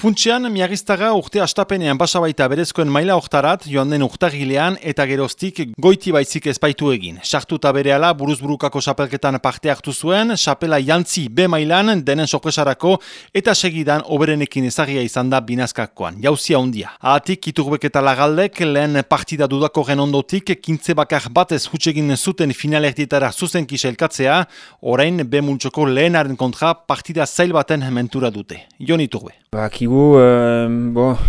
Funtsean, Miagiztaga urte astapenean basa baita berezkoen maila hortarat joan den urtarrilean eta geroztik goiti baizik ezpaitu egin. Sartuta berehala buruzburukako xapelketan parte hartu zuen, xapela jantzi B mailan denen sorpresarako eta segidan oberenekin ezagia izan da binazkakoan. Jauzia handia. Ahatik Iturbek eta Lagaldek lehen partida dudakorren ondotik kintze bakar batez hutsegin zuten finalerdietara zuzenki sailkatzea, orain B multzoko lehenaren kontra partida zail baten mentura dute. Jon Iturbe. Bakigu,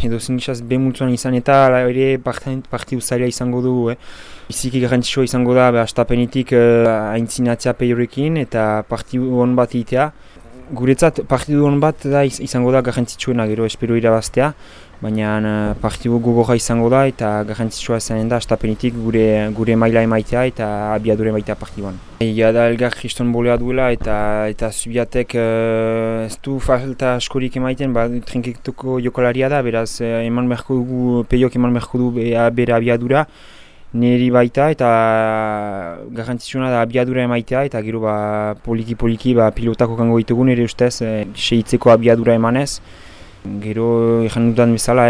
edo zinitxaz B multzuan izan eta ere partidu zaila izango dugu. Biziki garrantzitsua izango da astapenetik aintzinatzea peiorekin eta partidu hon bat egitea. Guretzat partidu hon bat da izango da garrantzitsuena gero espero irabaztea, baina partidu gogorra izango da eta garrantzitsua izanen da astapenetik gure maila emaitea eta abiadura emaitea partiduan. Egia da elgar kriston bolea duela eta Zubiatek ez du falta askorik emaiten, trinketuko jokalaria da, beraz eman beharko dugu, peiok eman beharko du bere abiadura, niri baita eta garrantzitsuna da abiadura emaitea eta gero poliki-poliki pilotako kango ditugu nire ustez segitzeko abiadura emanez. Gero ejan dudan bezala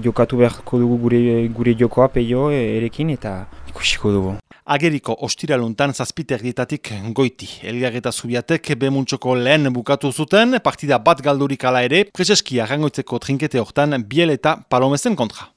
jokatu beharko dugu gure jokoa peio erekin eta ikusiko dugu. Ageriko ostiraluntan zazpiterdietatik goiti. Elgar eta Zubiatek B multzoko lehen bukatu zuten, partida bat galdurik ala ere, preseski arrangoitzeko trinkete hortan Biel eta Palomezen kontra.